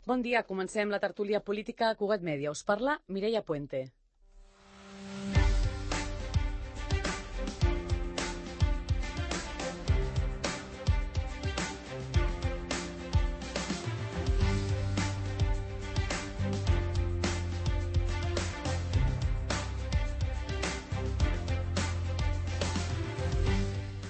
Bon dia, comencem la tertúlia política a Cugat Mèdia. Us parla Mireia Puente.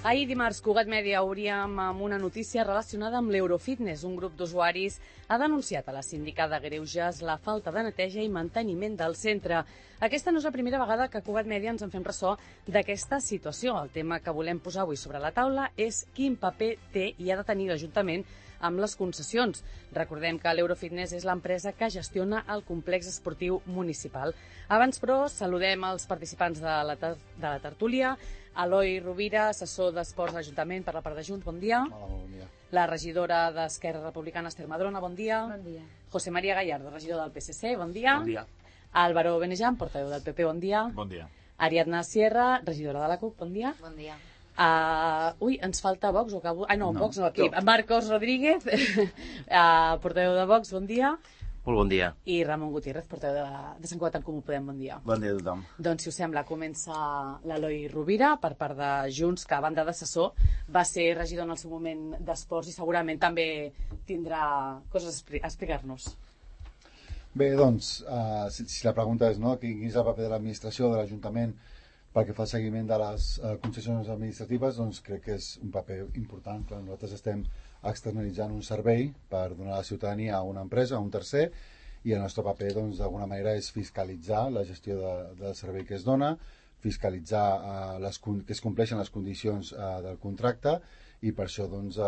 Ahir dimarts, Cugat Mèdia obríem amb una notícia relacionada amb l'Eurofitness. Un grup d'usuaris ha denunciat a la síndica de Greuges la falta de neteja i manteniment del centre. Aquesta no és la primera vegada que a Cugat Mèdia ens en fem ressò d'aquesta situació. El tema que volem posar avui sobre la taula és quin paper té i ha de tenir l'Ajuntament amb les concessions. Recordem que l'Eurofitness és l'empresa que gestiona el complex esportiu municipal. Abans, però, saludem els participants de la tertúlia. Eloi Rovira, assessor d'Esports de l'Ajuntament per la part de Junts, bon dia. Hola, bon dia. La regidora d'Esquerra Republicana, Esther Madrona, bon dia. Bon dia. José María Gallardo, regidor del PSC, bon dia. Bon dia. Álvaro Benejam, portaveu del PP, bon dia. Bon dia. Ariadna Sierra, regidora de la CUP, bon dia. Bon dia. Ens falta Vox, o acabo... no, No, Vox no, aquí. no. Marcos Rodríguez, portaveu de Vox, bon dia. Molt bon dia. I Ramon Gutiérrez, portaveu de Sant Cugat en Comú Podem, bon dia. Bon dia a tothom. Doncs, si us sembla, comença l'Eloi Rovira, per part de Junts, que a banda d'assessor va ser regidor en el seu moment d'Esports i segurament també tindrà coses a explicar-nos. Bé, doncs, si la pregunta és quin és el paper de l'administració, de l'Ajuntament, pel que fa al seguiment de les concessions administratives, doncs crec que és un paper important. Clar, nosaltres estem externalitzant un servei per donar a la ciutadania a una empresa, a un tercer, i el nostre paper, doncs, d'alguna manera és fiscalitzar la gestió del servei que es dona, fiscalitzar que es compleixen les condicions del contracte, i per això, doncs,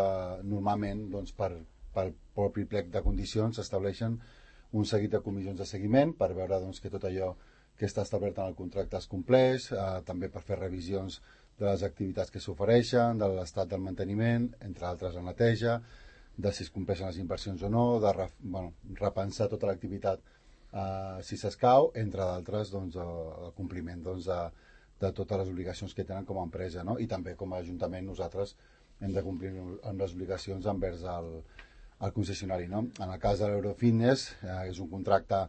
normalment, doncs, pel propi plec de condicions s'estableixen un seguit de comissions de seguiment per veure, doncs, que tot allò que està establert en el contracte es compleix, també per fer revisions de les activitats que s'ofereixen, de l'estat del manteniment, entre altres la neteja, de si es compleixen les inversions o no, de repensar tota l'activitat si s'escau, entre d'altres, doncs, el compliment, doncs, de totes les obligacions que tenen com a empresa, no? I també com a Ajuntament nosaltres hem de complir amb les obligacions envers el concessionari, no? En el cas de l'Eurofitness és un contracte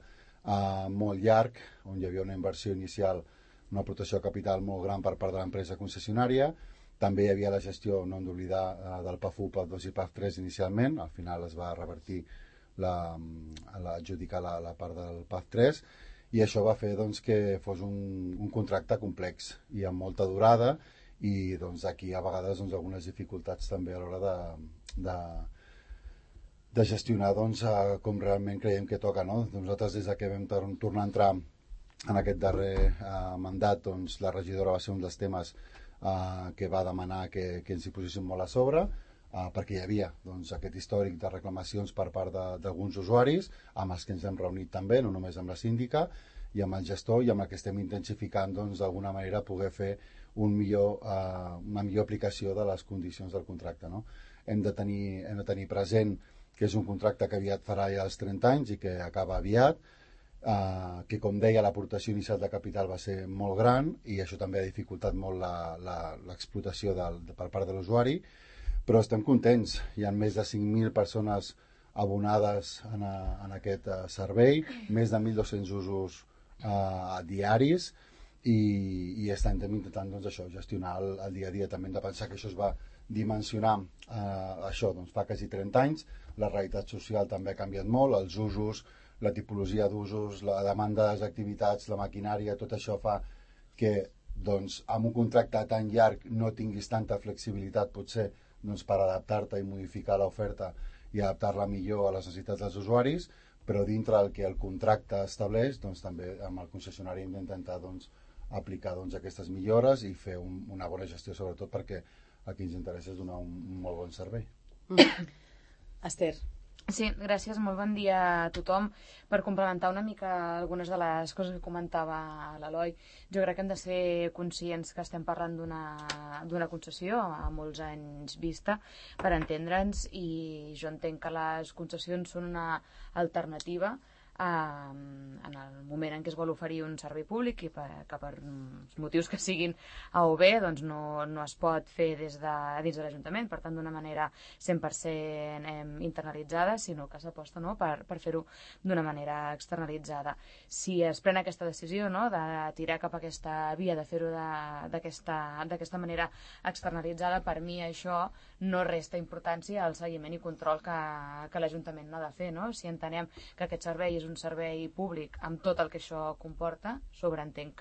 molt llarg, on hi havia una inversió inicial, una aportació de capital molt gran per part de l'empresa concessionària. També hi havia la gestió, no hem d'oblidar, del PAF1, PAF2 i PAF3 inicialment. Al final es va revertir adjudicar la part del PAF3, i això va fer, doncs, que fos un contracte complex i amb molta durada, i doncs, aquí a vegades, doncs, algunes dificultats també a l'hora de gestionar, doncs, com realment creiem que toca, no? Nosaltres, des que vam tornar a entrar en aquest darrer mandat, doncs, la regidora va ser un dels temes que va demanar que ens hi poséssim molt a sobre, perquè hi havia, doncs, aquest històric de reclamacions per part d'alguns usuaris, amb els que ens hem reunit també, no només amb la síndica, i amb el gestor, i amb el que estem intensificant, doncs, d'alguna manera poder fer una millor aplicació de les condicions del contracte, no? Hem de tenir present que és un contracte que aviat farà ja els 30 anys i que acaba aviat, que, com deia, l'aportació inicial de capital va ser molt gran, i això també ha dificultat molt l'explotació per part de l'usuari, però estem contents. Hi ha més de 5.000 persones abonades en aquest servei, més de 1.200 usos diaris, i estem intentant, doncs, això, gestionar el dia a dia. També hem de pensar que això es va dimensionar això, doncs, fa quasi 30 anys. La realitat social també ha canviat molt, els usos, la tipologia d'usos, la demanda de les activitats, la maquinària, tot això fa que, doncs, amb un contracte tan llarg no tinguis tanta flexibilitat, potser, doncs, per adaptar-te i modificar l'oferta i adaptar-la millor a les necessitats dels usuaris, però dintre del que el contracte estableix, doncs, també amb el concessionari hem d'intentar, doncs, aplicar, doncs, aquestes millores i fer una bona gestió, sobretot perquè a qui ens interessa és donar un molt bon servei. Esther. Sí, gràcies, molt bon dia a tothom. Per complementar una mica algunes de les coses que comentava l'Eloi, jo crec que hem de ser conscients que estem parlant d'una concessió a molts anys vista, per entendre'ns, i jo entenc que les concessions són una alternativa en el moment en què es vol oferir un servei públic i que per motius que siguin A o B doncs no es pot fer dins de l'Ajuntament, per tant d'una manera 100% internalitzada, sinó que s'aposta, no, per fer-ho d'una manera externalitzada. Si es pren aquesta decisió, no, de tirar cap a aquesta via, de fer-ho d'aquesta manera externalitzada, per mi això no resta importància al seguiment i control que l'Ajuntament n'ha de fer, no? Si entenem que aquest servei és un servei públic amb tot el que això comporta, sobreentenc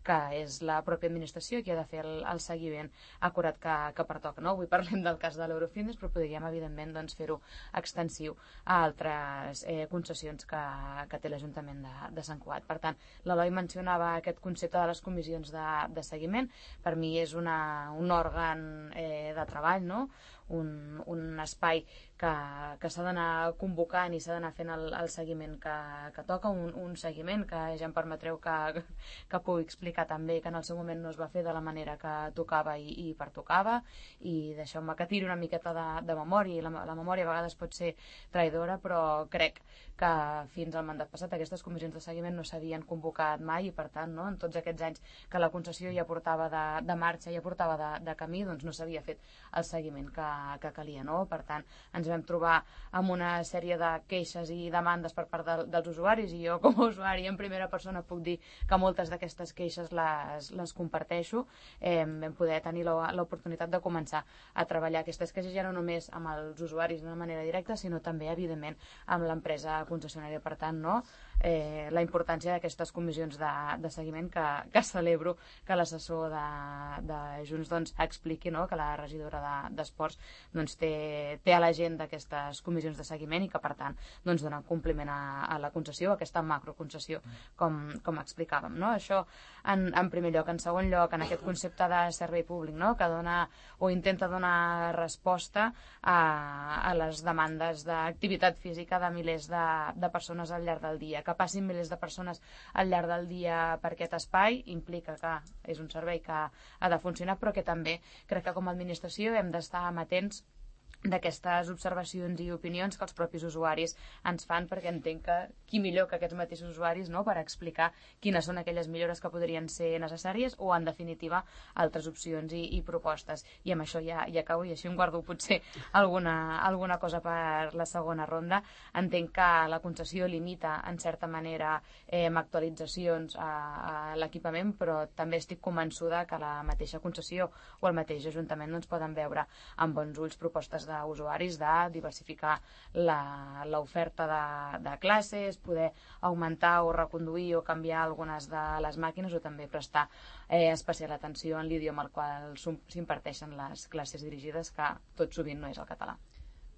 que és la pròpia administració qui ha de fer el seguiment acurat que pertoca, no? Avui parlem del cas de l'Eurofitness, però podríem, evidentment, doncs, fer-ho extensiu a altres concessions que té l'Ajuntament de Sant Cugat. Per tant, l'Eloi mencionava aquest concepte de les comissions de seguiment. Per mi és un òrgan de treball, no? Un espai que s'ha d'anar convocant i s'ha d'anar fent el seguiment que toca, un seguiment que ja em permetreu que pugui explicar també que en el seu moment no es va fer de la manera que tocava i pertocava, i deixeu-me que tiri una miqueta de memòria, i la memòria a vegades pot ser traïdora, però crec que fins al mandat passat aquestes comissions de seguiment no s'havien convocat mai, i per tant, no, en tots aquests anys que la concessió ja portava de marxa, ja portava de camí, doncs no s'havia fet el seguiment que calia, no? Per tant, ens vam trobar amb una sèrie de queixes i demandes per part dels usuaris, i jo com a usuari en primera persona puc dir que moltes d'aquestes queixes les comparteixo. Vam poder tenir l'oportunitat de començar a treballar aquestes queixes ja no només amb els usuaris d'una manera directa, sinó també, evidentment, amb l'empresa concessionària. Per tant, no, la importància d'aquestes comissions de seguiment, que celebro que l'assessor de Junts doncs, expliqui, no, que la regidora d'Esports doncs, té a l'agenda aquestes comissions de seguiment i que, per tant, doncs, dona compliment a la concessió, a aquesta macroconcessió, com explicàvem, no? Això en primer lloc. En segon lloc, en aquest concepte de servei públic, no, que dona o intenta donar resposta a les demandes d'activitat física de milers de persones al llarg del dia. Que passin milers de persones al llarg del dia per aquest espai implica que és un servei que ha de funcionar, però que també crec que com a administració hem d'estar amatents d'aquestes observacions i opinions que els propis usuaris ens fan, perquè entenc que qui millor que aquests mateixos usuaris, no?, per explicar quines són aquelles millores que podrien ser necessàries o, en definitiva, altres opcions i propostes. I amb això ja acabo, i així em guardo potser alguna cosa per la segona ronda. Entenc que la concessió limita, en certa manera, amb actualitzacions a l'equipament, però també estic convençuda que la mateixa concessió o el mateix Ajuntament doncs, poden veure amb bons ulls propostes d'usuaris de diversificar l'oferta de classes, poder augmentar o reconduir o canviar algunes de les màquines, o també prestar especial atenció en l'idioma al qual s'imparteixen les classes dirigides, que tot sovint no és el català.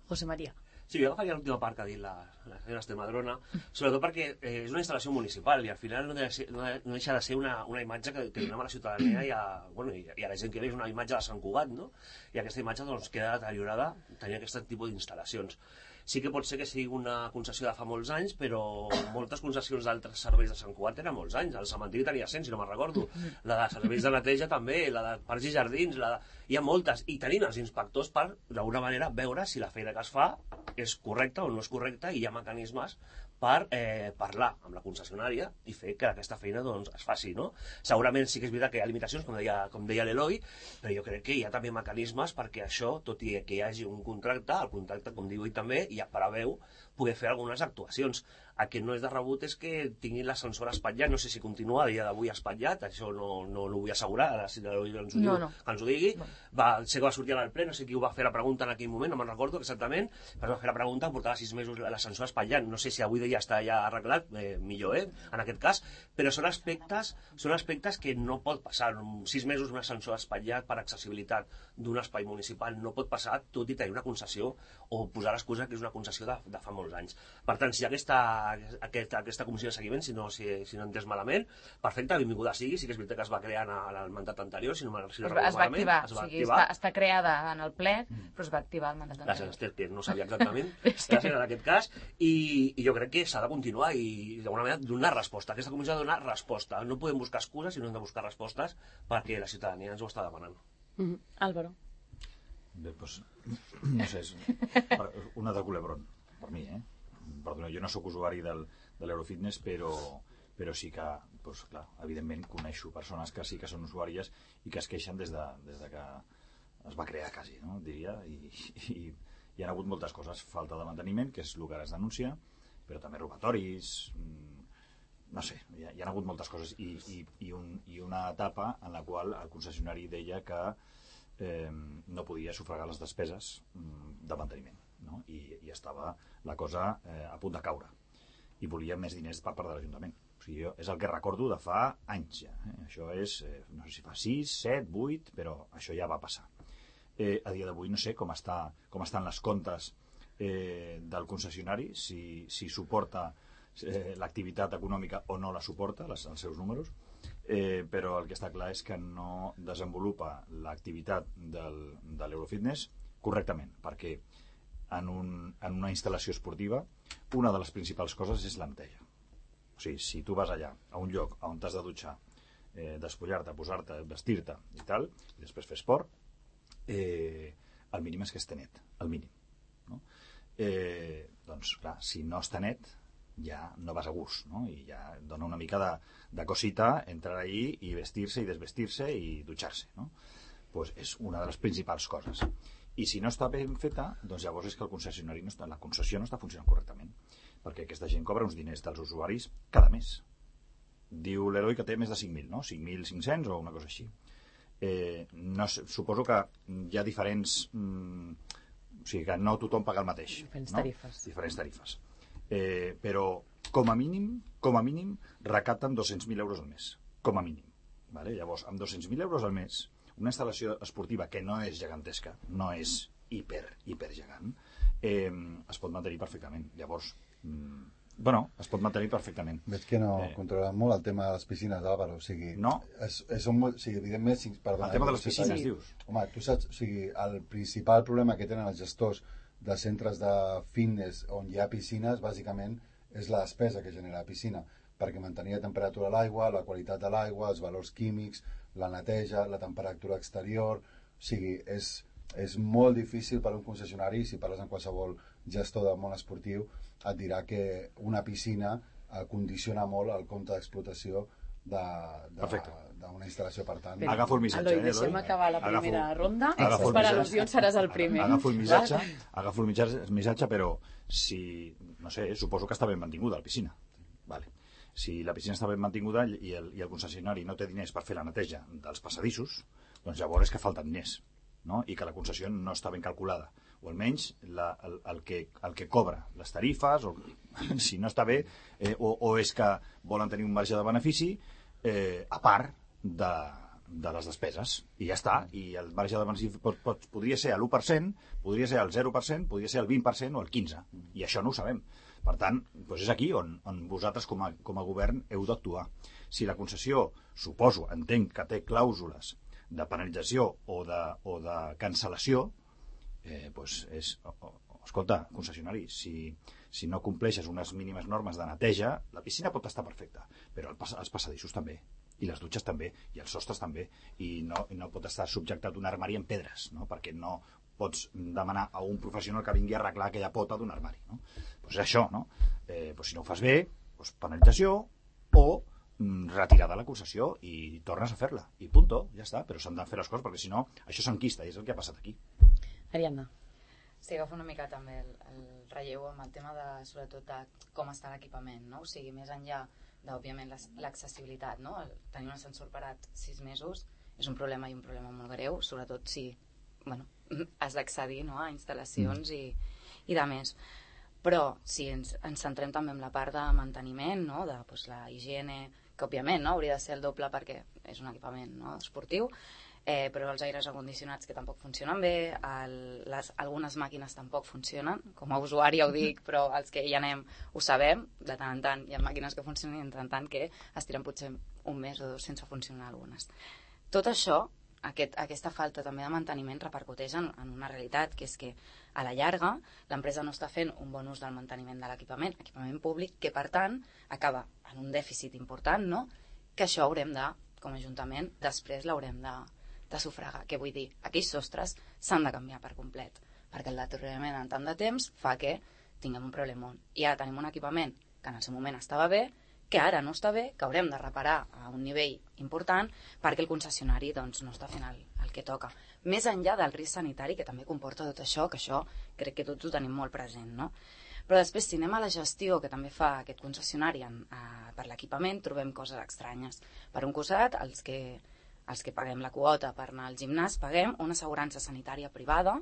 José María. Sí, jo agafaria l'última part que ha dit la senyora Estremadrona, sobretot perquè és una instal·lació municipal i al final no deixa de ser una imatge que donem a la ciutadania i a la gent que ve, és una imatge de Sant Cugat, no? I aquesta imatge doncs, queda deteriorada tenint aquest tipus d'instal·lacions. Sí que pot ser que sigui una concessió de fa molts anys, però moltes concessions d'altres serveis de Sant Cugat tenen molts anys. El cementiri tenia 100, si no me'n recordo. La de serveis de neteja també, la de parcs i jardins, hi ha moltes. I tenim els inspectors per, d'alguna manera, veure si la feina que es fa és correcta o no és correcta, i hi ha mecanismes per parlar amb la concessionària i fer que aquesta feina doncs, es faci, no? Segurament sí que és veritat que hi ha limitacions, com deia l'Eloi, però jo crec que hi ha també mecanismes perquè això, tot i que hi hagi un contracte, el contracte, com diu ell també, ja preveu poder fer algunes actuacions. El que no és de rebut és que tinguin l'ascensor espatllat, no sé si continua a dia d'avui espatllat, això no ho vull assegurar, ara si l'Eloi ens ho diu, que ens ho digui. Sé que va sortir al ple, no sé qui ho va fer la pregunta en aquell moment, no me'n recordo exactament, però va fer la pregunta, portava 6 mesos l'ascensor espatllat, no sé si avui ja està ja arreglat, millor, en aquest cas, però són aspectes que no pot passar. 6 mesos un ascensor espatllat per accessibilitat d'un espai municipal no pot passar, tot i tenir una concessió o posar l'excusa que és una concessió de fa molts anys. Per tant, si hi ha aquesta comissió de seguiment, si no he entès malament, perfecte, benvinguda sigui. Sí que és veritat que es va crear en el mandat anterior, si no recordo malament. Es va activar, està creada en el ple, però es va activar el mandat anterior. Gràcies, Esther, que no sabia exactament. Gràcies en aquest cas. I jo crec que s'ha de continuar i d'alguna manera donar resposta. Aquesta comissió ha de donar resposta. No podem buscar excuses, sinó hem de buscar respostes perquè la ciutadania ens ho està demanant. Álvaro. Bé, doncs, no sé, una de culebrón, per mi, perdona, jo no sóc usuari de l'Eurofitness, però sí que, doncs, clar, evidentment coneixo persones que sí que són usuàries i que es queixen des de que es va crear quasi, no? Diria, i hi ha hagut moltes coses, falta de manteniment, que és el que ara es denuncia, però també robatoris, no sé, hi ha hagut moltes coses i una etapa en la qual el concessionari deia que no podia sufragar les despeses de manteniment, no? I estava la cosa a punt de caure i volia més diners per part de l'Ajuntament. O sigui, és el que recordo de fa anys ja, això és, no sé si fa 6, 7, 8, però això ja va passar. A dia d'avui no sé com estan les comptes del concessionari, si suporta l'activitat econòmica o no la suporta, els seus números, però el que està clar és que no desenvolupa l'activitat de l'Eurofitness correctament, perquè en una instal·lació esportiva una de les principals coses és la neteja. O sigui, si tu vas allà a un lloc on t'has de dutxar, despullar-te, posar-te, vestir-te i tal, i després fer esport, el mínim és que esté net, el mínim, no? Doncs clar, si no està net ja no vas a gust, no? I ja dona una mica de cosita entrar allí i vestir-se i desvestir-se i dutxar-se, no? Pues és una de les principals coses. I si no està ben feta, doncs llavors és que el concessionari la concessió no està funcionant correctament, perquè aquesta gent cobra uns diners dels usuaris cada mes. Diu l'Eloi que té més de 5.000, no? 5.500 o una cosa així. No sé, suposo que hi ha diferents... o sigui, que no tothom paga el mateix. Diferents tarifes. Diferents tarifes. Però com a mínim recapten 200.000 euros al mes, com a mínim, vale? Llavors, amb 200.000 euros al mes, una instal·lació esportiva que no és gegantesca, no és hiper gegant, es pot mantenir perfectament. Llavors, es pot mantenir perfectament. Veig que no controlen molt el tema de les piscines, Álvaro. O sigui, no. Evidentment, perdona, el tema de les piscines, dius? Home, tu saps, o sigui, el principal problema que tenen els gestors de centres de fitness on hi ha piscines, bàsicament, és la despesa que genera la piscina, perquè mantenir la temperatura de l'aigua, la qualitat de l'aigua, els valors químics, la neteja, la temperatura exterior... O sigui, és molt difícil per a un concessionari, si parles amb qualsevol gestor del món esportiu, et dirà que una piscina condiciona molt el compte d'explotació d'una instal·lació. Per tant, agafo el missatge. Eloi, deixem acabar la primera ronda. Per al·lusions seràs el primer. Agafo el missatge, però si, no sé, suposo que està ben mantinguda la piscina. Vale. Si la piscina està ben mantinguda i el concessionari no té diners per fer la neteja dels passadissos, doncs llavors és que falten diners, no? I que la concessió no està ben calculada, o almenys el que cobra les tarifes, o si no està bé, o és que volen tenir un marge de benefici a part de les despeses, i ja està. I el marge de benefici podria ser l'1%, podria ser el 0%, podria ser el 20% o el 15%, i això no ho sabem. Per tant, doncs és aquí on vosaltres com a govern heu d'actuar. Si la concessió, suposo, entenc que té clàusules de penalització o de cancel·lació, escolta, concessionari, si no compleixes unes mínimes normes de neteja, la piscina pot estar perfecta, però els passadissos també, i les dutxes també, i els sostres també, i no pot estar subjectat un armari en pedres, no? Perquè no pots demanar a un professional que vingui a arreglar aquella pota d'un armari, no? Doncs és això, no? Si no ho fas bé, penalització o retirar de la concessió i tornes a fer-la, i punto, ja està. Però s'han de fer les coses, perquè si no això s'enquista, i és el que ha passat aquí. Ariadna. Sí, agafo una mica també el relleu amb el tema sobretot de com està l'equipament, no? O sigui, més enllà d'òbviament l'accessibilitat, no? Tenir un ascensor parat 6 mesos és un problema, i un problema molt greu, sobretot si has d'accedir, no, a instal·lacions i de més. Però si ens centrem també en la part de manteniment, no, de la higiene, que òbviament hauria de ser el doble perquè és un equipament, no, esportiu, però els aires acondicionats que tampoc funcionen bé, algunes màquines tampoc funcionen, com a usuari ho dic, però els que hi anem ho sabem, de tant en tant hi ha màquines que funcionen i de tant en tant que es tiren potser un mes o 2 sense funcionar algunes. Tot això, aquesta falta també de manteniment repercuteix en una realitat, que és que a la llarga l'empresa no està fent un bon ús del manteniment de l'equipament públic, que per tant acaba en un dèficit important, no? Que això haurem de, com a Ajuntament, després l'haurem de sufragar. Què vull dir? Aquells sostres s'han de canviar per complet, perquè el deteriorament en tant de temps fa que tinguem un problemon. I ara tenim un equipament que en el seu moment estava bé, que ara no està bé, que haurem de reparar a un nivell important perquè el concessionari doncs, no està fent el que toca. Més enllà del risc sanitari que també comporta tot això, que això crec que tots ho tenim molt present, no? Però després, si anem a la gestió que també fa aquest concessionari per l'equipament, trobem coses estranyes. Per un costat, els que paguem la quota per anar al gimnàs, paguem una assegurança sanitària privada,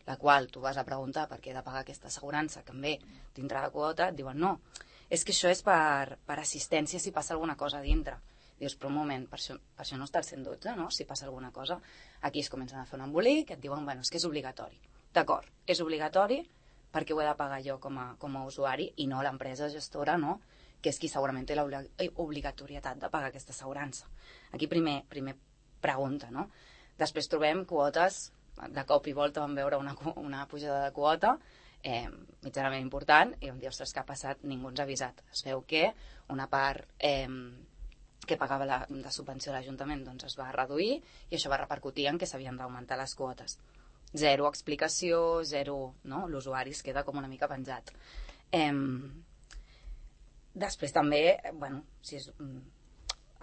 la qual tu vas a preguntar per què he de pagar aquesta assegurança, que també dintre de quota, et diuen no, és que això és per assistència si passa alguna cosa a dintre. Dius, però un moment, per això no està el 112, no? Si passa alguna cosa. Aquí es comencen a fer un embolic, et diuen, bueno, és que és obligatori. D'acord, és obligatori perquè ho he de pagar jo com a usuari i no l'empresa gestora, no? Que és qui segurament té l'obligatorietat de pagar aquesta assegurança. Aquí primer pregunta, no? Després trobem quotes, de cop i volta vam veure una pujada de quota mitjanament important i vam dir, ostres, què ha passat? Ningú ens ha avisat. Es veu que una part que pagava de subvenció a l'Ajuntament doncs es va reduir i això va repercutir en que s'havien d'augmentar les quotes. Zero explicació, zero, no? L'usuari es queda com una mica penjat. Després també, bueno, si és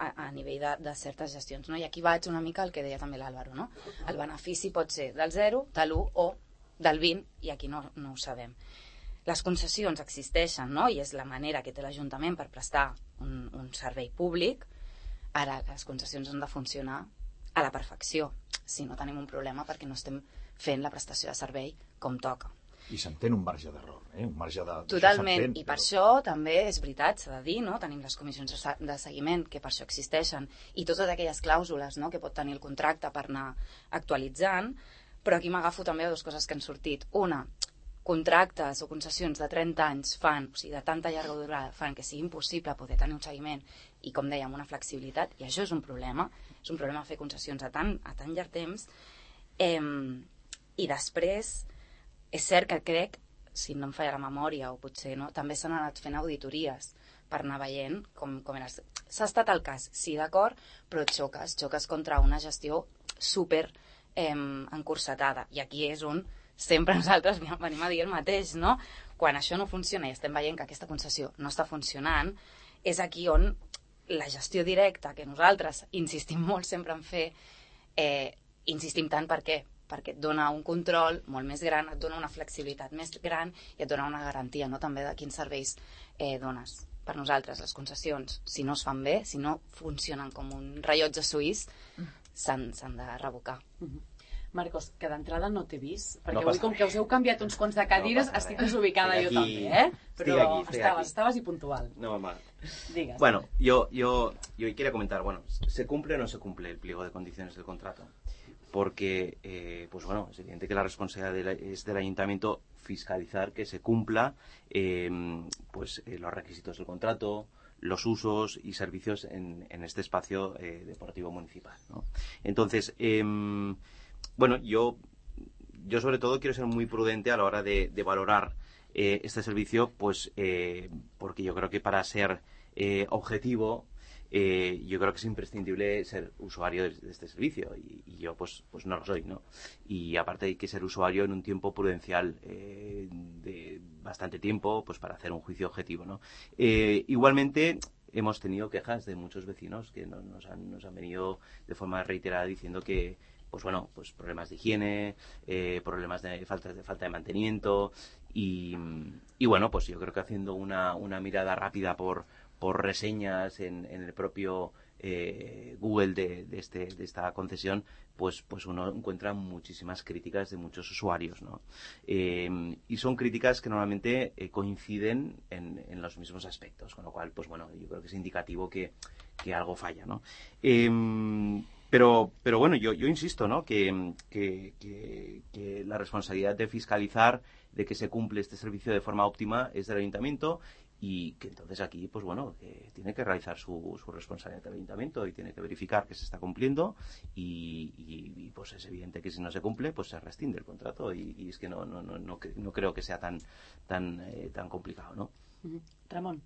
a nivell de certes gestions, no? I aquí vaig una mica al que deia també l'Àlvaro, no? El benefici pot ser del 0, de l'1 o del 20, i aquí no ho sabem. Les concessions existeixen, no? I és la manera que té l'Ajuntament per prestar un servei públic. Ara, les concessions han de funcionar a la perfecció, si no tenim un problema perquè no estem fent la prestació de servei com toca. I s'entén un marge d'error, un marge de... Totalment, i per això també és veritat, s'ha de dir, no? Tenim les comissions de seguiment, que per això existeixen, i totes aquelles clàusules, no?, que pot tenir el contracte per anar actualitzant, però aquí m'agafo també a dues coses que han sortit. Una, contractes o concessions de 30 anys fan, o sigui, de tanta llarga durada, fan que sigui impossible poder tenir un seguiment i, com dèiem, una flexibilitat, i això és un problema fer concessions a tan llarg temps. I després, és cert que crec, si no em falla la memòria, o potser no, també s'han anat fent auditories per anar veient com era. S'ha estat el cas, sí, d'acord, però xoques contra una gestió super encursetada. I aquí és on sempre nosaltres venim a dir el mateix, no? Quan això no funciona i estem veient que aquesta concessió no està funcionant, és aquí on la gestió directa, que nosaltres insistim molt sempre en fer, insistim tant per què? Perquè et dona un control molt més gran, et dona una flexibilitat més gran i et dona una garantia, no?, també de quins serveis dones. Per nosaltres, les concessions, si no es fan bé, si no funcionen com un rellotge suís, s'han de revocar. Marcos, que d'entrada no t'he vist, perquè avui, com que us heu canviat uns quants de cadires, estic desubicada jo també, Però estabas y puntual. No, mal. Digas. Bueno, yo quería comentar, bueno, ¿se cumple o no se cumple el pliego de condiciones del contrato? Porque, pues bueno, es evidente que la responsabilidad es del ayuntamiento fiscalizar que se cumpla los requisitos del contrato, los usos y servicios en este espacio deportivo municipal, ¿no? Entonces, bueno, yo sobre todo quiero ser muy prudente a la hora de valorar este servicio, pues porque yo creo que para ser objetivo, yo creo que es imprescindible ser usuario de este servicio y yo pues no lo soy, ¿no? Y aparte hay que ser usuario en un tiempo prudencial de bastante tiempo, pues para hacer un juicio objetivo, ¿no? Igualmente hemos tenido quejas de muchos vecinos que nos han venido de forma reiterada diciendo que pues bueno, pues problemas de higiene, problemas de falta de mantenimiento y bueno, pues yo creo que haciendo una mirada rápida por reseñas en el propio Google de esta concesión, pues uno encuentra muchísimas críticas de muchos usuarios, ¿no? Y son críticas que normalmente coinciden en los mismos aspectos, con lo cual, pues bueno, yo creo que es indicativo que algo falla, ¿no? Pero bueno, yo insisto, ¿no? Que la responsabilidad de fiscalizar de que se cumple este servicio de forma óptima es del ayuntamiento y que entonces aquí, pues bueno, tiene que realizar su responsabilidad del ayuntamiento y tiene que verificar que se está cumpliendo y pues es evidente que si no se cumple, pues se rescinde el contrato y es que no creo que sea tan complicado, ¿no? Ramon.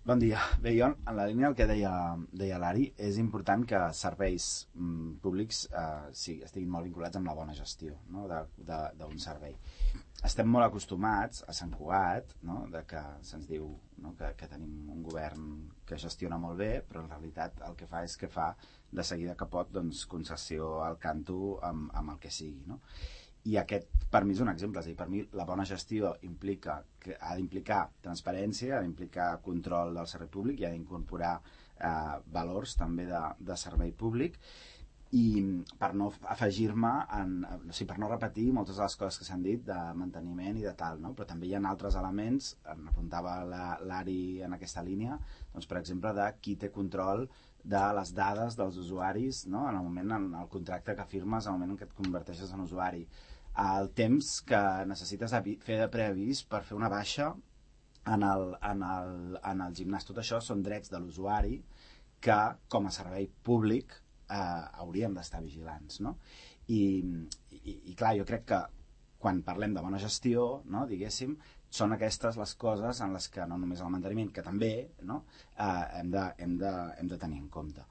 Bon dia. Bé, jo, en la línia del que deia l'Ari, és important que serveis públics estiguin molt vinculats amb la bona gestió, no?, d'un servei. estem molt acostumats a Sant Cugat, no? De que se'ns diu, no? que tenim un govern que gestiona molt bé, però en realitat el que fa és que fa de seguida que pot concessió al canto amb el que sigui. No? I aquest, per mi, és un exemple. És a dir, per mi, la bona gestió ha d'implicar transparència, ha d'implicar control del servei públic i ha d'incorporar valors també de servei públic, i per no afegir-me per no repetir moltes de les coses que s'han dit de manteniment i de tal, no? Però també hi ha altres elements, apuntava l'Ari en aquesta línia, doncs, per exemple, de qui té control de les dades dels usuaris, no? En el contracte que firmes, en el moment en què et converteixes en usuari, el temps que necessites fer de preavís per fer una baixa en el gimnàs. Tot això són drets de l'usuari que, com a servei públic, hauríem d'estar vigilants, no? I clar, jo crec que quan parlem de bona gestió, no, diguéssim, són aquestes les coses en les que no només el manteniment, que també, no, hem de tenir en compte.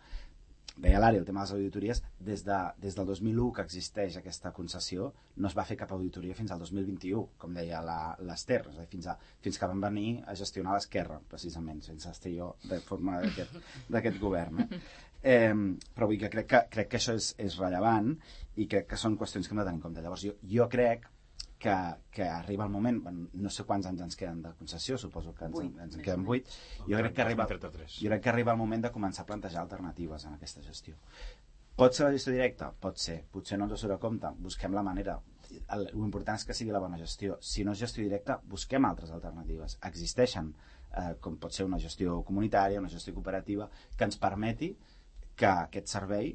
Deia l'Ari, el tema de les auditories, des del 2001 que existeix aquesta concessió, no es va fer cap auditoria fins al 2021, com deia l'Ester, és a dir, fins que van venir a gestionar l'Esquerra, precisament, sense estar jo de forma d'aquest govern. Però vull que crec que això és rellevant i crec que són qüestions que hem de tenir en compte. Llavors, jo crec que arriba el moment, no sé quants anys ens queden de concessió, suposo que ens en queden 8, jo crec que arriba el moment de començar a plantejar alternatives en aquesta gestió. Pot ser la gestió directa? Pot ser. Potser no ens ho surt a compte. Busquem la manera. L'important és que sigui la bona gestió. Si no és gestió directa, busquem altres alternatives. Existeixen, com pot ser una gestió comunitària, una gestió cooperativa, que ens permeti que aquest servei,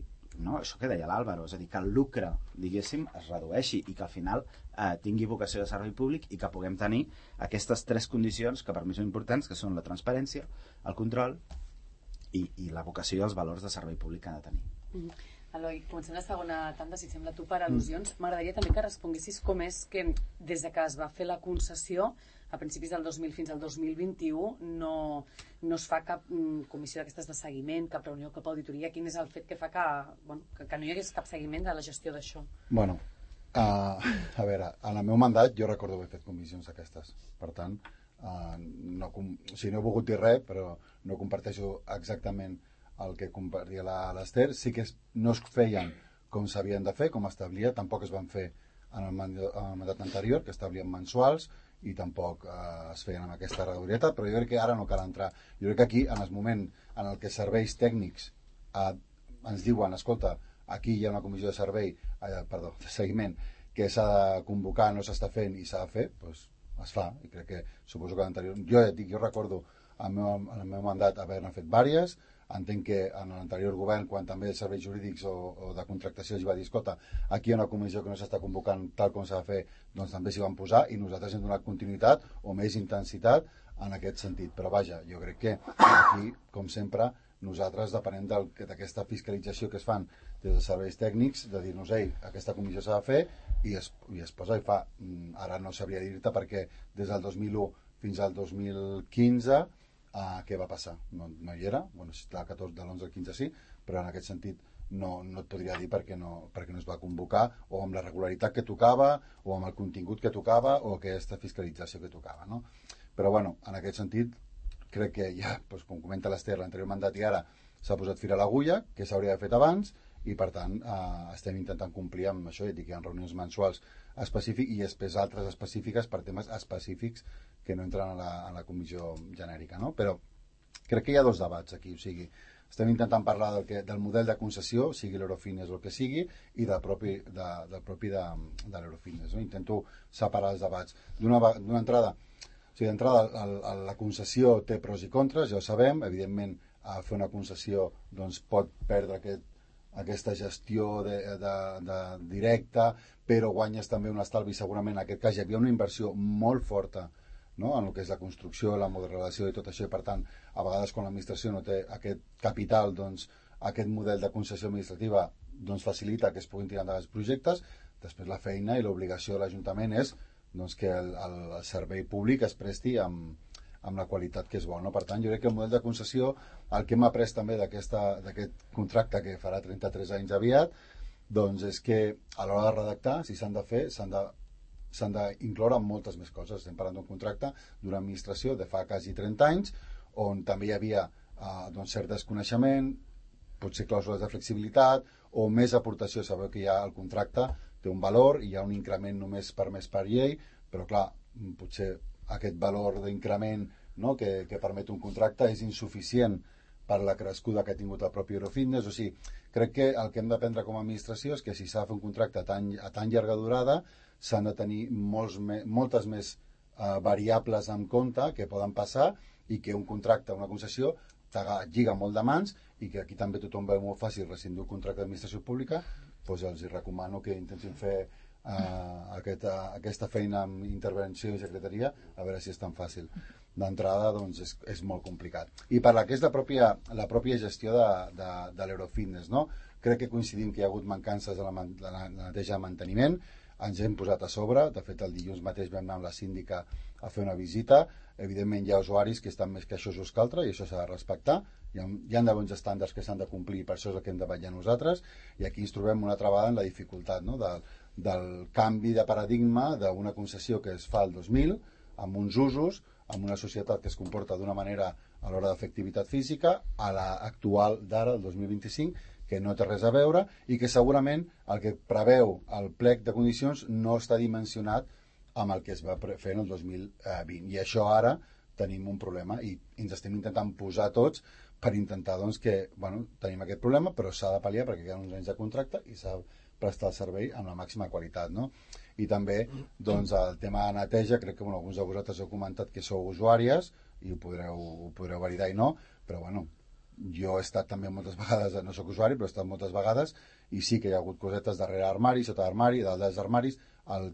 no, això que deia l'Àlvaro, és a dir, que el lucre, diguéssim, es redueixi i que al final tingui vocació de servei públic i que puguem tenir aquestes 3 condicions que per mi són importants, que són la transparència, el control i la vocació i els valors de servei públic que ha de tenir. Eloi, comencem la segona tanda, si sembla tu, per al·lusions. M'agradaria també que responguessis com és que des de que es va fer la concessió a principis del 2000 fins al 2021 no es fa cap comissió d'aquestes de seguiment, cap reunió, cap auditoria. Quin és el fet que fa que no hi hagués cap seguiment de la gestió d'això? Bueno, a veure, en el meu mandat jo recordo haver fet comissions d'aquestes. Per tant, no he volgut dir res, però no comparteixo exactament el que compartia l'Ester. Sí que no es feien com s'havien de fer, com establia, tampoc es van fer en el mandat anterior, que establien mensuals, i tampoc es feien amb aquesta regularització, però jo crec que ara no cal entrar. Jo crec que aquí, en el moment en el que serveis tècnics ens diuen, escolta, aquí hi ha una comissió de seguiment que s'ha de convocar, no s'està fent i s'ha de fer, doncs es fa. I crec que, suposo que l'anterior... Jo recordo en el meu mandat haver-ne fet diverses. Entenc que en l'anterior govern, quan també els serveis jurídics o de contractació es va dir, escolta, aquí hi ha una comissió que no s'està convocant tal com s'ha de fer, doncs també s'hi van posar i nosaltres hem donat continuïtat o més intensitat en aquest sentit. Però vaja, jo crec que aquí, com sempre, nosaltres depenem d'aquesta fiscalització que es fan des de serveis tècnics, de dir-nos, ei, aquesta comissió s'ha de fer i es posa i fa. Ara no sabria dir-te perquè des del 2001 fins al 2015 què va passar? No hi era, bueno, de l'11 al 15 sí, però en aquest sentit no et podria dir perquè no es va convocar o amb la regularitat que tocava o amb el contingut que tocava o aquesta fiscalització que tocava, no? Però bueno, en aquest sentit crec que ja, doncs, com comenta l'Ester, l'anterior mandat i ara s'ha posat fil a l'agulla, que s'hauria d'haver fet abans, i per tant estem intentant complir amb això, i dic que hi ha reunions mensuals específiques i després altres específiques per temes específics que no entren a la comissió genèrica, no? Però crec que hi ha 2 debats aquí, o sigui, estem intentant parlar del model de concessió, sigui l'Eurofitness o el que sigui, i del propi de l'Eurofitness, no? Intento separar els debats. D'una entrada, o sigui, d'entrada la concessió té pros i contres, ja ho sabem, evidentment fer una concessió doncs, pot perdre aquesta gestió directa, però guanyes també un estalvi. Segurament en aquest cas hi havia una inversió molt forta, no?, en el que és la construcció, la modelació i tot això, i per tant, a vegades quan l'administració no té aquest capital, doncs aquest model de concessió administrativa doncs, facilita que es puguin tirar endavant els projectes. Després la feina i l'obligació de l'Ajuntament és doncs, que el servei públic es presti amb la qualitat que és bona, no? Per tant, jo crec que el model de concessió, el que hem après també d'aquest contracte que farà 33 anys aviat, doncs és que a l'hora de redactar, si s'han de fer, s'han de s'han d'incloure moltes més coses. Estem parlant d'un contracte d'una administració de fa quasi 30 anys, on també hi havia cert desconeixement, potser clàusules de flexibilitat o més aportació. Sabeu que ja el contracte té un valor i hi ha un increment només permès per llei, però clar, potser aquest valor d'increment, no, que permet un contracte és insuficient per la crescuda que ha tingut el propi Eurofitness. O sigui, crec que el que hem d'aprendre com a administració és que si s'ha de fer un contracte a tan llarga durada s'han de tenir moltes més variables en compte que poden passar i que un contracte, una concessió, lliga molt de mans i que aquí també tothom veu molt fàcil rescindir un contracte d'administració pública, doncs els recomano que intentin fer aquesta feina amb intervenció i secretaria, a veure si és tan fàcil. D'entrada, doncs, és molt complicat. I per la que és la pròpia gestió de l'Eurofitness, no? Crec que coincidim que hi ha hagut mancances de la neteja de manteniment, ens hem posat a sobre, de fet el dilluns mateix vam anar amb la síndica a fer una visita, evidentment hi ha usuaris que estan més queixosos que altres i això s'ha de respectar, hi ha de bons estàndards que s'han de complir, per això és el que hem de vetllar nosaltres, i aquí ens trobem una altra vegada en la dificultat, no? del canvi de paradigma d'una concessió que es fa el 2000, amb uns usos, amb una societat que es comporta d'una manera a l'hora de fer activitat física, a l'actual d'ara, el 2025, que no té res a veure i que segurament el que preveu el plec de condicions no està dimensionat amb el que es va fer en el 2020. I això ara tenim un problema i ens estem intentant posar tots per intentar que tenim aquest problema, però s'ha de pal·liar perquè queden uns anys de contracte i s'ha de prestar el servei amb la màxima qualitat, no? I també el tema de neteja, crec que alguns de vosaltres heu comentat que sou usuàries i ho podreu validar i no, però jo he estat també moltes vegades, no sóc usuari, però he estat moltes vegades i sí que hi ha hagut cosetes darrere armari, sota armari, dalt dels armaris,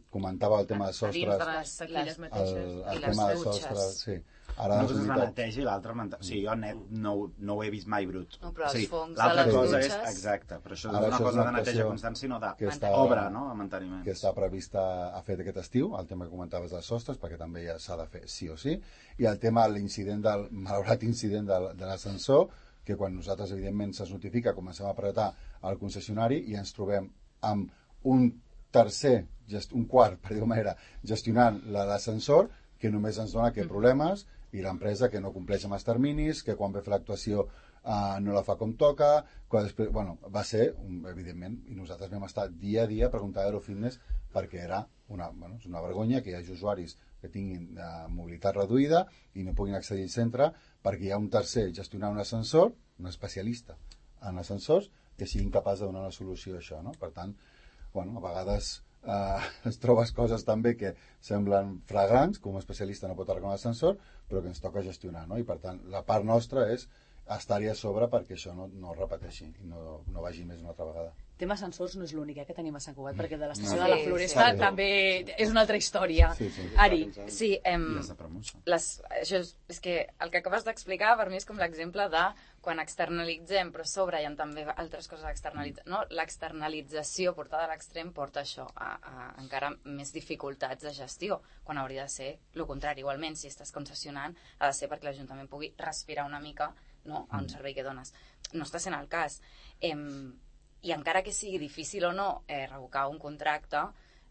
comentava el tema de sostres, dins de les sequilles mateixes el tema de sostres, sí. Ara una cosa és la neteja i l'altra o sigui, jo net no ho he vist mai brut. No, però els fongs l'altra de les cosa dutxes... és, exacte, però això és una cosa de neteja constant, sinó d'obra, no?, a manteniment. Que està prevista a fer aquest estiu, el tema que comentaves dels sostres, perquè també ja s'ha de fer sí o sí, i el tema de l'incident malaurat incident de l'ascensor, que quan nosaltres, evidentment, se'ns notifica, comencem a apretar al concessionari i ens trobem amb un tercer, un quart, per dir-ho manera, gestionant l'ascensor, que només ens dona que problemes, i l'empresa que no compleix amb els terminis, que quan ve a fer l'actuació no la fa com toca, després, va ser, evidentment, i nosaltres vam estar dia a dia preguntant a Eurofitness perquè era és una vergonya que hi hagi usuaris que tinguin mobilitat reduïda i no puguin accedir al centre perquè hi ha un tercer gestionant un ascensor, un especialista en ascensors, que sigui incapaç de donar una solució a això, no? Per tant, a vegades es trobes coses també que semblen flagrants, com un especialista no pot arreglar un ascensor, però que ens toca gestionar, no? I per tant, la part nostra és estar-hi a sobre perquè això no es repeteixi i no vagi més una altra vegada. El tema ascensors no és l'únic que tenim a Sant Cugat, perquè de l'estació de la Floresta també és una altra història. Ari. Sí, això és que el que acabes d'explicar per mi és com l'exemple de quan externalitzem, però a sobre hi ha també altres coses a externalitzar. No? L'externalització portada a l'extrem porta això a encara més dificultats de gestió, quan hauria de ser el contrari. Igualment, si estàs concessionant, ha de ser perquè l'Ajuntament pugui respirar una mica, no, a un servei que dones. No està sent el cas. I encara que sigui difícil o no revocar un contracte,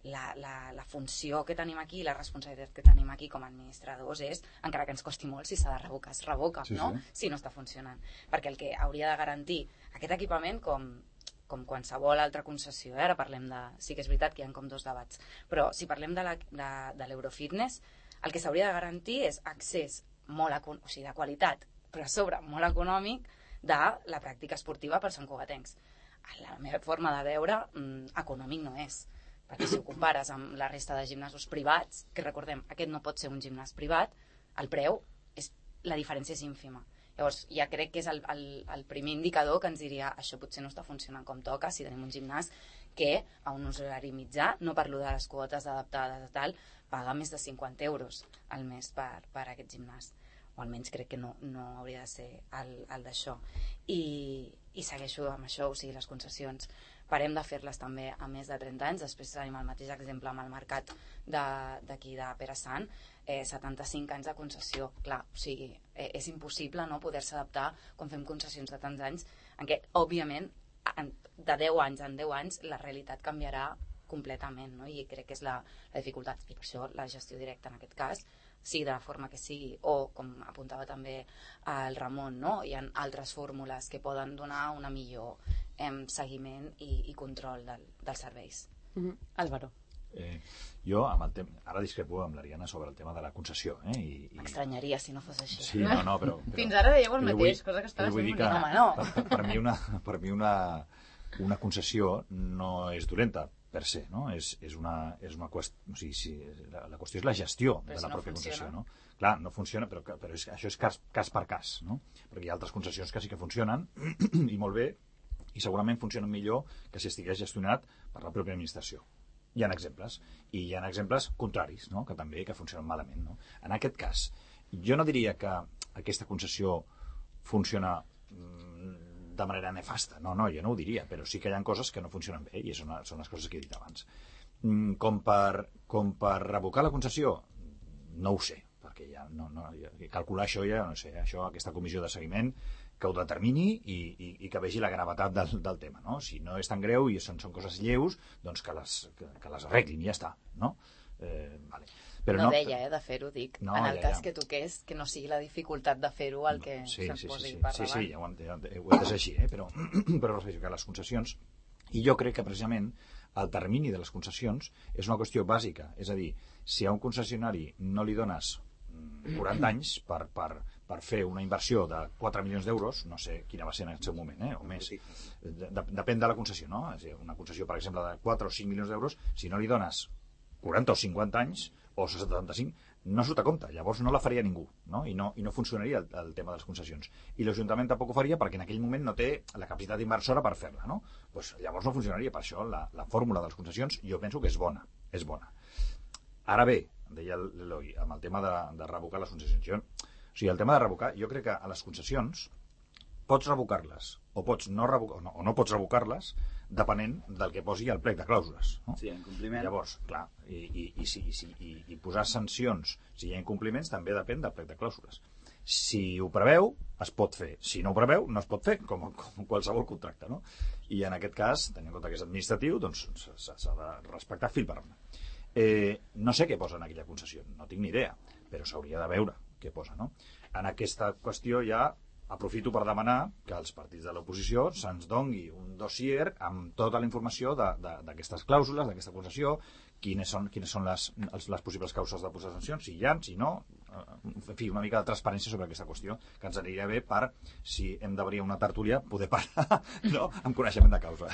la funció que tenim aquí, la responsabilitat que tenim aquí com a administradors és, encara que ens costi molt, si s'ha de revocar, es revoca, no? Si no està funcionant. Perquè el que hauria de garantir aquest equipament, com qualsevol altra concessió, ara parlem de... Sí que és veritat que hi ha com dos debats, però si parlem de l'Eurofitness, el que s'hauria de garantir és accés de qualitat, però a sobre molt econòmic, de la pràctica esportiva per santcugatencs. La meva forma de veure, econòmic no és, perquè si ho compares amb la resta de gimnasos privats, que recordem, aquest no pot ser un gimnàs privat, el preu, la diferència és ínfima. Llavors, ja crec que és el primer indicador que ens diria això potser no està funcionant com toca, si tenim un gimnàs que a un usuari mitjà, no parlo de les quotes adaptades a tal, paga més de 50 euros al mes per aquest gimnàs. O almenys crec que no hauria de ser el d'això. I segueixo amb això, o sigui, les concessions parem de fer-les també a més de 30 anys. Després tenim el mateix exemple amb el mercat d'aquí de Pere Sant, 75 anys de concessió. Clar, o sigui, és impossible no poder-se adaptar quan fem concessions de tants anys, en què, òbviament, de 10 anys en 10 anys la realitat canviarà completament, no? I crec que és la dificultat, i per això la gestió directa en aquest cas, sigui de la forma que sigui, o com apuntava també el Ramon, no? Hi ha altres fórmules que poden donar una millor seguiment i control dels serveis. Álvaro. Jo ara discrepo amb l'Ariana sobre el tema de la concessió. M'estranyaria si no fos així. Sí, no, però... Fins ara dèieu el mateix, cosa que estava sent bonica. Home, no. Per mi una concessió no és dolenta per se, no? És una qüestió, o sigui, la qüestió és la gestió de la pròpia concessió, no? Clar, no funciona, però això és cas per cas, no? Perquè hi ha altres concessions que sí que funcionen i molt bé, i segurament funcionen millor que si estigués gestionat per la pròpia administració. Hi ha exemples, i hi ha exemples contraris, no? Que funcionen malament, no? En aquest cas, jo no diria que aquesta concessió funciona de manera nefasta, no, jo no ho diria, però sí que hi ha coses que no funcionen bé, i són les coses que he dit abans. Com per revocar la concessió, no ho sé, perquè calcular això ja no sé, aquesta comissió de seguiment que ho determini i que vegi la gravetat del tema, no? Si no és tan greu i són coses lleus, doncs que les arreglin i ja està, no? Vale. Però no deia, de fer-ho, dic. No, en el cas que toqués, que no sigui la dificultat de fer-ho el que se'n posi per davant. Sí, ja ho he entès així, però respecte a les concessions, i jo crec que precisament el termini de les concessions és una qüestió bàsica, és a dir, si a un concessionari no li dones 40 anys per fer una inversió de 4 milions d'euros, no sé quina va ser en el seu moment, o més, depèn de la concessió, no? És a dir, una concessió, per exemple, de 4 o 5 milions d'euros, si no li dones 40 o 50 anys, o 75, no surt a compte, llavors no la faria ningú, no? I no funcionaria el tema de les concessions. I l'Ajuntament tampoc ho faria perquè en aquell moment no té la capacitat inversora per fer-la, no? Pues llavors no funcionaria. Per això la fórmula de les concessions jo penso que és bona. Ara bé, deia l'Eloi, amb el tema de revocar les concessions. O sigui, el tema de revocar, jo crec que a les concessions pots revocar-les o no pots revocar-les depenent del que posi al plec de clàusules, no? Si hi ha incompliment. Llavors, clar, i posar sancions si hi ha incompliments també depèn del plec de clàusules. Si ho preveu, es pot fer. Si no ho preveu, no es pot fer, com qualsevol contracte, no? I en aquest cas, tenint en compte que és administratiu, doncs s'ha de respectar fil per randa. No sé què posa en aquella concessió, no tinc ni idea, però s'hauria de veure què posa, no? En aquesta qüestió ja aprofito per demanar que els partits de l'oposició se'ns dongui un dossier amb tota la informació d'aquestes clàusules, d'aquesta concessió, quines són les possibles causes de posar sancions, si hi ha, si no, en fi, una mica de transparència sobre aquesta qüestió, que ens aniria bé per, si hem d'obrir una tertúlia, poder parlar, no?, amb coneixement de causa.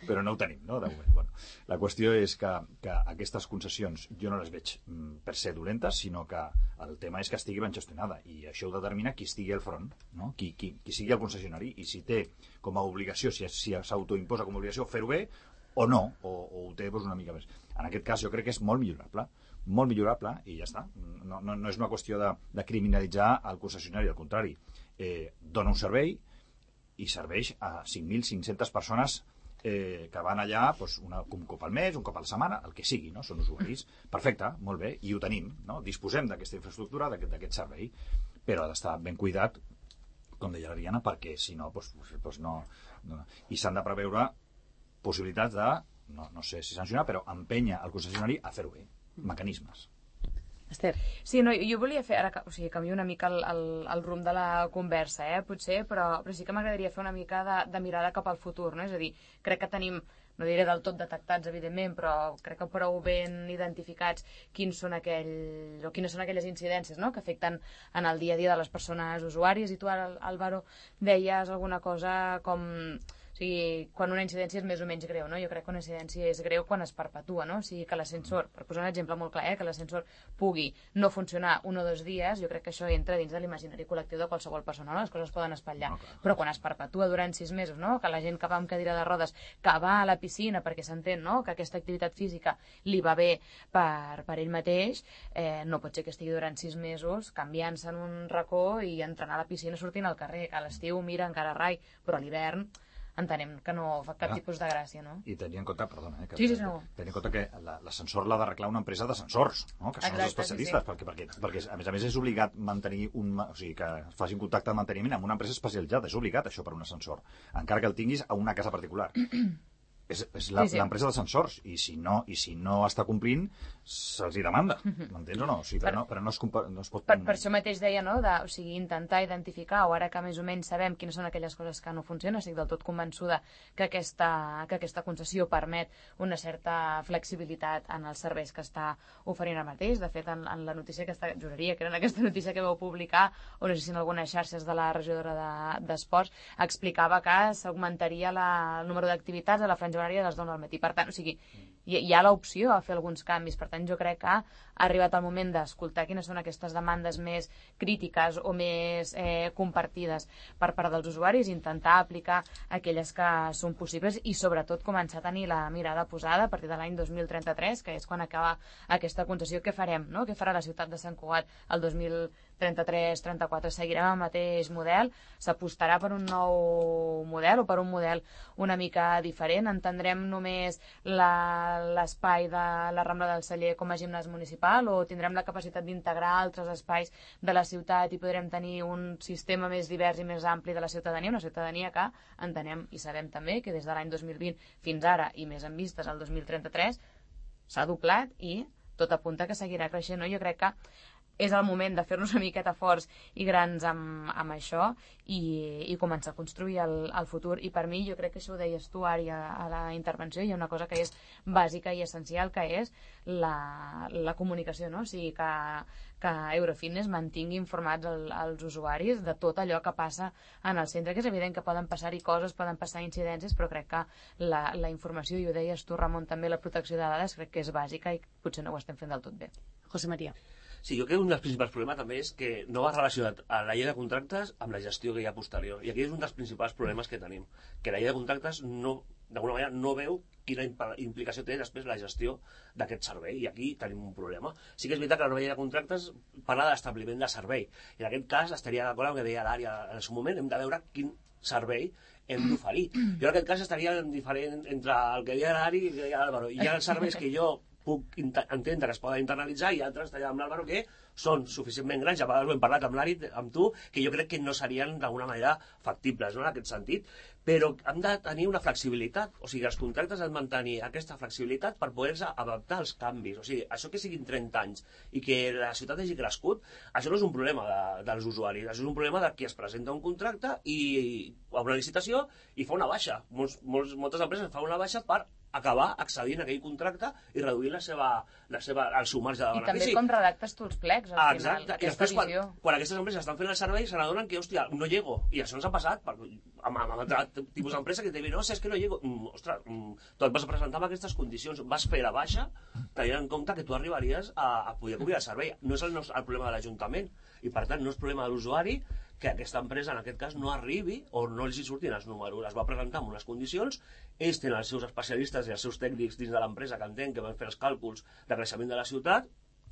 Però no ho tenim, no?, de moment. Bueno, la qüestió és que aquestes concessions jo no les veig per ser dolentes, sinó que el tema és que estigui ben gestionada, i això ho determina qui estigui al front, no?, qui sigui el concessionari, i si té com a obligació, si s'autoimposa com a obligació fer-ho bé, o no, o ho té una mica més. En aquest cas jo crec que és molt millorable, i ja està. No és una qüestió de criminalitzar el concessionari, al contrari. Dona un servei i serveix a 5.500 persones que van allà un cop al mes, un cop a la setmana, el que sigui, no? Són usuaris. Perfecte, molt bé, i ho tenim, no? Disposem d'aquesta infraestructura, d'aquest servei, però ha d'estar ben cuidat, com deia l'Ariana, perquè si no, no. I s'han de preveure possibilitats de, no sé si sancionar, però empènyer el concessionari a fer-ho bé. Mecanismes. Esther. Sí, no, jo volia fer, ara, o sigui, canvio una mica el rumb de la conversa, potser, però sí que m'agradaria fer una mica de mirada cap al futur, no? És a dir, crec que tenim, no diré del tot detectats, evidentment, però crec que prou ben identificats quines són aquelles incidències, no?, que afecten en el dia a dia de les persones usuàries. I tu, Álvaro, deies alguna cosa com... O sigui, quan una incidència és més o menys greu, no? Jo crec que una incidència és greu quan es perpetua, no? O sigui, que l'ascensor, per posar un exemple molt clar, que l'ascensor pugui no funcionar 1 o 2 dies, jo crec que això entra dins de l'imaginari col·lectiu de qualsevol persona, no? Les coses poden espatllar. Però quan es perpetua durant 6 mesos, no?, que la gent que va amb cadira de rodes, que va a la piscina perquè s'entén, no?, que aquesta activitat física li va bé per ell mateix, no pot ser que estigui durant 6 mesos canviant-se en un racó i entrant a la piscina sortint al carrer, que a l'estiu mira encara rai, però a l'hivern entenem que no fa cap tipus de gràcia, no? I tenir en compte, perdona, tenir en compte que l'ascensor l'ha d'arreglar una empresa d'ascensors, no?, que són els especialistes, perquè a més és obligat mantenir o sigui, que facin contacte de manteniment amb una empresa especialitzada, és obligat això per un ascensor, encara que el tinguis a una casa particular. és l'empresa d'ascensors, i si no està complint, se'ls hi demanda, m'entens o no? O sigui, però no es pot... Per això mateix deia, no?, o sigui, intentar identificar, o ara que més o menys sabem quines són aquelles coses que no funcionen, estic del tot convençuda que aquesta concessió permet una certa flexibilitat en els serveis que està oferint ara mateix. De fet, en la notícia que juraria que era en aquesta notícia que vau publicar, o no sé si en algunes xarxes de la regidora d'Esports, explicava que s'augmentaria el número d'activitats a la franja horària de les 9 del matí. Per tant, o sigui, hi ha l'opció a fer alguns canvis. Per tant, jo crec que ha arribat el moment d'escoltar quines són aquestes demandes més crítiques o més compartides per part dels usuaris, intentar aplicar aquelles que són possibles i, sobretot, començar a tenir la mirada posada a partir de l'any 2033, que és quan acaba aquesta concessió. Què farem, no? Què farà la ciutat de Sant Cugat el 2033-34? Seguirem el mateix model? S'apostarà per un nou model o per un model una mica diferent? Entendrem només l'espai de la Rambla del Celler com a gimnàs municipal, o tindrem la capacitat d'integrar altres espais de la ciutat i podrem tenir un sistema més divers i més ampli de la ciutadania, una ciutadania que entenem i sabem també que des de l'any 2020 fins ara, i més en vistes al 2033, s'ha doblat i tot apunta que seguirà creixent, no? Jo crec que és el moment de fer-nos una miqueta forts i grans amb això i començar a construir el futur. I per mi, jo crec que això ho deies tu, Ari, a la intervenció, hi ha una cosa que és bàsica i essencial, que és la comunicació, no? O sigui, que Eurofitness mantingui informats els usuaris de tot allò que passa en el centre, que és evident que poden passar-hi coses, poden passar incidències, però crec que la informació, i ho deies tu, Ramon, també la protecció de dades, crec que és bàsica i potser no ho estem fent del tot bé. José María. Sí, jo crec que un dels principals problemes també és que no va relacionat a la llei de contractes amb la gestió que hi ha posterior. I aquí és un dels principals problemes que tenim, que la llei de contractes d'alguna manera no veu quina implicació té després la gestió d'aquest servei, i aquí tenim un problema. Sí que és veritat que la nova llei de contractes parla d'establiment de servei, i en aquest cas estaria d'acord amb el que deia l'Ària en el seu moment, hem de veure quin servei hem d'oferir. Jo en aquest cas estaria diferent entre el que deia l'Ari i el que deia l'Àlvaro. Hi ha serveis que jo puc entendre que es poden internalitzar, i altres, estaria amb l'Àlvaro, que són suficientment grans, ja a vegades ho hem parlat amb l'Ari, amb tu, que jo crec que no serien d'alguna manera factibles, no?, en aquest sentit, però hem de tenir una flexibilitat, o sigui, els contractes han de mantenir aquesta flexibilitat per poder-se adaptar als canvis. O sigui, això que siguin 30 anys i que la ciutat hagi crescut, això no és un problema dels usuaris, això és un problema de qui es presenta un contracte a una licitació i fa una baixa. Moltes empreses fan una baixa per acabar accedint a aquell contracte i reduir el seu marge de benefici. I també com redactes tu els plecs, al final. Exacte. I després, quan aquestes empreses estan fent el servei, se n'adonen que, hòstia, no llego. I això ens ha passat amb altre tipus d'empresa que te diuen, no, és que no llego. Ostres, tu et vas presentar amb aquestes condicions, vas fer la baixa, tenint en compte que tu arribaries a poder cobrir el servei. No és el problema de l'Ajuntament, i per tant no és problema de l'usuari que aquesta empresa, en aquest cas, no arribi o no els hi surtin els números. Es va presentar amb unes condicions, ells tenen els seus especialistes i els seus tècnics dins de l'empresa que entenen que van fer els càlculs de creixement de la ciutat,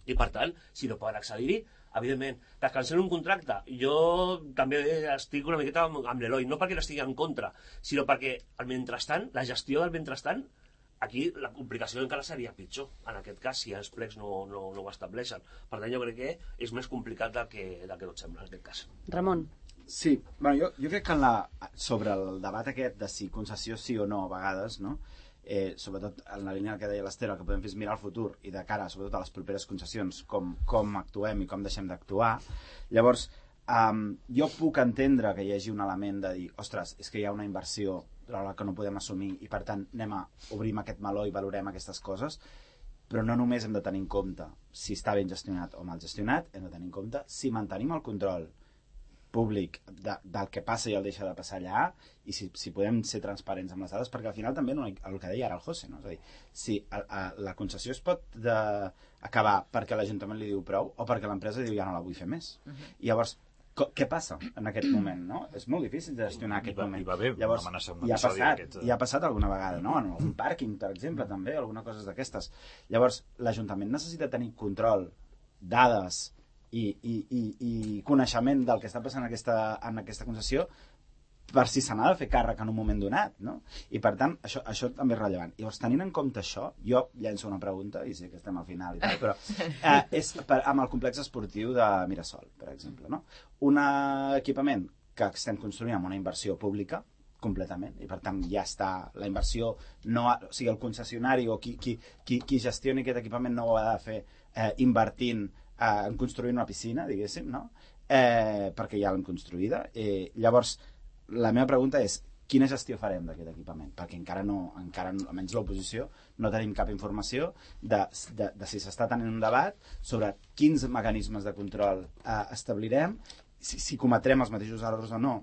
i per tant, si no poden accedir-hi, evidentment, que es cancel un contracte. Jo també estic una miqueta amb l'Eloi, no perquè l'estigui en contra, sinó perquè el mentrestant, la gestió del mentrestant, aquí la complicació encara seria pitjor, en aquest cas, si els plecs no ho estableixen. Per tant, jo crec que és més complicat del que tot sembla, en aquest cas. Ramon. Sí, bueno, jo crec que sobre el debat aquest de si concessió sí o no, a vegades, no? Sobretot en la línia que deia l'Esther, el que podem fer és mirar el futur i de cara, sobretot a les properes concessions, com actuem i com deixem d'actuar. Llavors, jo puc entendre que hi hagi un element de dir, ostres, és que hi ha una inversió que no podem assumir i per tant obrim aquest meló i valorem aquestes coses, però no només hem de tenir en compte si està ben gestionat o mal gestionat, hem de tenir en compte si mantenim el control públic del que passa i el deixa de passar allà, i si podem ser transparents amb les dades, perquè al final també el que deia ara el José, no? És a dir, si la concessió es pot acabar perquè l'Ajuntament li diu prou o perquè l'empresa diu ja no la vull fer més. I llavors, què passa en aquest moment, no? És molt difícil de gestionar aquest moment. Llavors, i ha passat alguna vegada, no? En algun pàrquing, per exemple, també, alguna cosa d'aquestes. Llavors, l'Ajuntament necessita tenir control, dades i coneixement del que està passant en aquesta concessió per si se n'ha de fer càrrec en un moment donat, no? I per tant, això també és rellevant. Llavors, tenint en compte això, jo llenço una pregunta, i sé que estem al final i tal, però és amb el complex esportiu de Mirasol, per exemple, no? Un equipament que estem construint amb una inversió pública, completament, i per tant ja està la inversió, o sigui, el concessionari o qui gestioni aquest equipament no ho ha de fer invertint en construir una piscina, diguéssim, no? Perquè ja l'hem construïda. Llavors, la meva pregunta és quina gestió farem d'aquest equipament? Perquè encara almenys l'oposició, no tenim cap informació de si s'està tenint un debat sobre quins mecanismes de control establirem, si cometrem els mateixos errors o no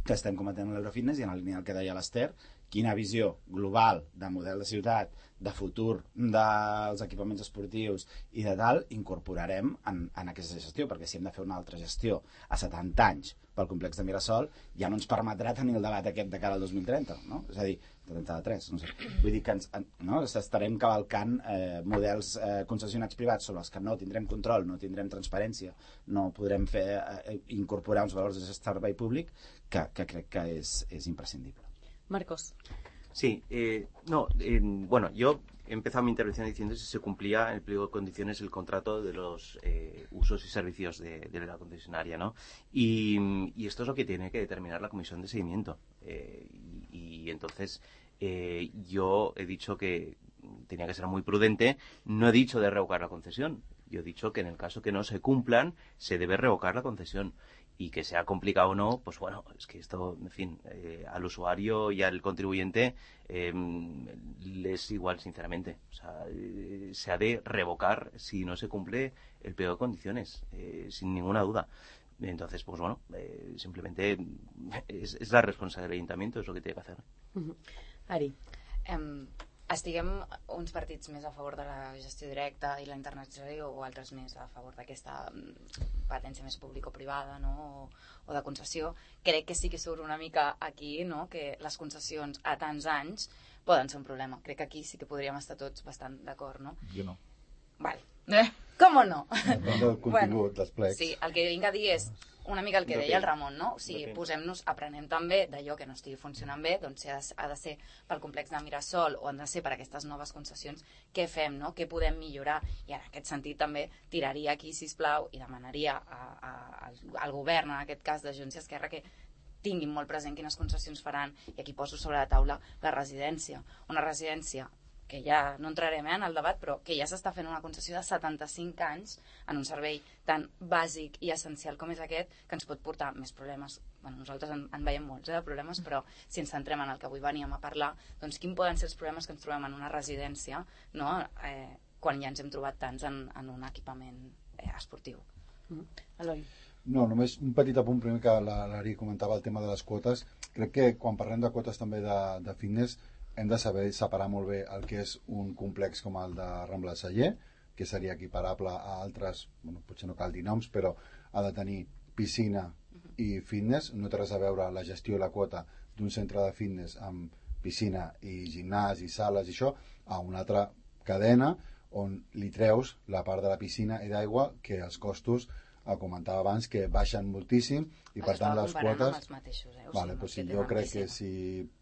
que estem cometent a l'Eurofitness, i en la línia del que deia l'Ester, quina visió global de model de ciutat, de futur dels equipaments esportius i de tal, incorporarem en aquesta gestió, perquè si hem de fer una altra gestió a 70 anys pel complex de Mirasol, ja no ens permetrà tenir el debat aquest de cara al 2030, no? És a dir, 33, no sé. Vull dir que estarem cavalcant models concessionats privats sobre els que no tindrem control, no tindrem transparència, no podrem incorporar uns valors de servei públic que crec que és imprescindible. Marcos. Sí, bueno, yo he empezado mi intervención diciendo si se cumplía en el pliego de condiciones el contrato de los usos y servicios de la concesionaria, ¿no? Y esto es lo que tiene que determinar la comisión de seguimiento. Y entonces yo he dicho que tenía que ser muy prudente, no he dicho de revocar la concesión, yo he dicho que en el caso que no se cumplan se debe revocar la concesión. Y que sea complicado o no, pues bueno, es que esto, en fin, al usuario y al contribuyente les es igual, sinceramente. O sea, se ha de revocar si no se cumple el pliego de condiciones, sin ninguna duda. Entonces, pues bueno, simplemente es la responsabilidad del ayuntamiento, es lo que tiene que hacer. Ari. Estiguem uns partits més a favor de la gestió directa i la internacionalització o altres més a favor d'aquesta patència més público-privada, no? o de concessió. Crec que sí que surt una mica aquí, no? Que les concessions a tants anys poden ser un problema. Crec que aquí sí que podríem estar tots bastant d'acord, no? Jo no. Vale. Com no? Depèn del contingut dels plecs. Sí, el que vinc a dir és una mica el que deia el Ramon, no? O sigui, posem-nos, aprenem també d'allò que no estigui funcionant bé, doncs si ha de ser pel complex de Mirasol o han de ser per aquestes noves concessions, què fem, no? Què podem millorar? I en aquest sentit també tiraria aquí, sisplau, i demanaria al govern, en aquest cas de Junts i Esquerra, que tinguin molt present quines concessions faran, i aquí poso sobre la taula la residència. Una residència que ja no entrarem en el debat, però que ja s'està fent una concessió de 75 anys en un servei tan bàsic i essencial com és aquest, que ens pot portar més problemes. Bueno, nosaltres en veiem molts de problemes, però si ens centrem en el que avui veníem a parlar, doncs quins poden ser els problemes que ens trobem en una residència, no? Quan ja ens hem trobat tants en un equipament esportiu. Eloi. No, només un petit apunt, primer que l'Ari comentava el tema de les quotes. Crec que quan parlem de quotes també de fitness hem de saber separar molt bé el que és un complex com el de Rambla Celler, que seria equiparable a altres, bueno, potser no cal dir noms, però ha de tenir piscina i fitness. No té res a veure la gestió i la quota d'un centre de fitness amb piscina i gimnàs i sales i això a una altra cadena on li treus la part de la piscina i d'aigua, que els costos, comentava abans, que baixen moltíssim i per tant les quotes... Vale, doncs sí, jo crec que si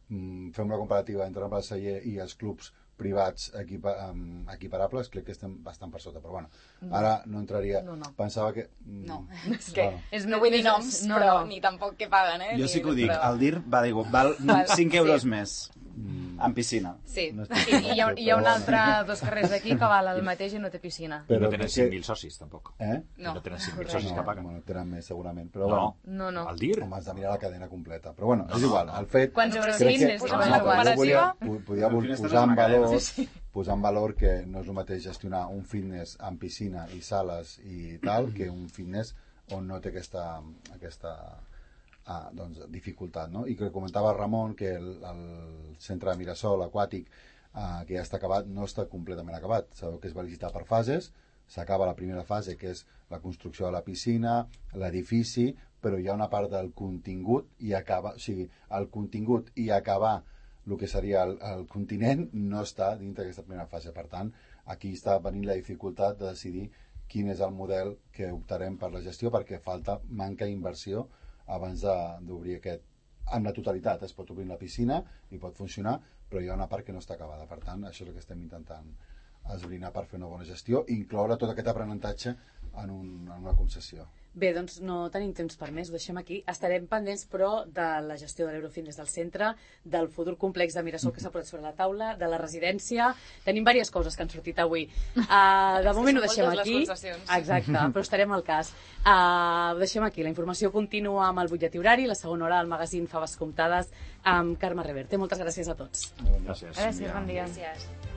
fem una comparativa entre Rambla Celler i els clubs privats equiparables, crec que estem bastant per sota, però bueno, ara no entraria... No. Pensava que... No, és que no vull dir noms, però ni tampoc que paguen, eh? Jo sí que ho dic, el DIR va dir, val 5 euros més en piscina. Sí, i hi ha un altre dos carrers d'aquí que val el mateix i no té piscina. Però no tenen 5.000 socis, tampoc. No tenen 5.000 socis que paguen. Bueno, tenen més, segurament, però bueno. No. El DIR? Home, has de mirar la cadena completa. Però bueno, és igual, el fet... Quants euros tens? Podia posar en valor que no és el mateix gestionar un fitness amb piscina i sales i tal, que un fitness on no té aquesta doncs, dificultat, no? I que comentava Ramon que el centre de Mirasol aquàtic que ja està acabat, no està completament acabat. Sabeu que es va licitar per fases, s'acaba la primera fase, que és la construcció de la piscina, l'edifici, però hi ha una part del contingut i acabar, o sigui, el contingut i acabar el que seria el continent no està dintre d'aquesta primera fase. Per tant, aquí està venint la dificultat de decidir quin és el model que optarem per la gestió, perquè manca inversió abans d'obrir aquest. En la totalitat es pot obrir la piscina i pot funcionar, però hi ha una part que no està acabada. Per tant, això és el que estem intentant esbrinar per fer una bona gestió i incloure tot aquest aprenentatge en una concessió. Bé, doncs no tenim temps per més, ho deixem aquí. Estarem pendents, però, de la gestió de l'Eurofitness del centre, del futur complex de Mirasol que s'ha posat sobre la taula, de la residència... Tenim diverses coses que han sortit avui. De moment ho deixem aquí. Exacte, però estarem al cas. Ho deixem aquí. La informació continua amb el butlletí horari, la segona hora del magazín Faves Comptades amb Carme Reverte. Moltes gràcies a tots. Gràcies. Gràcies, bon dia. Gràcies.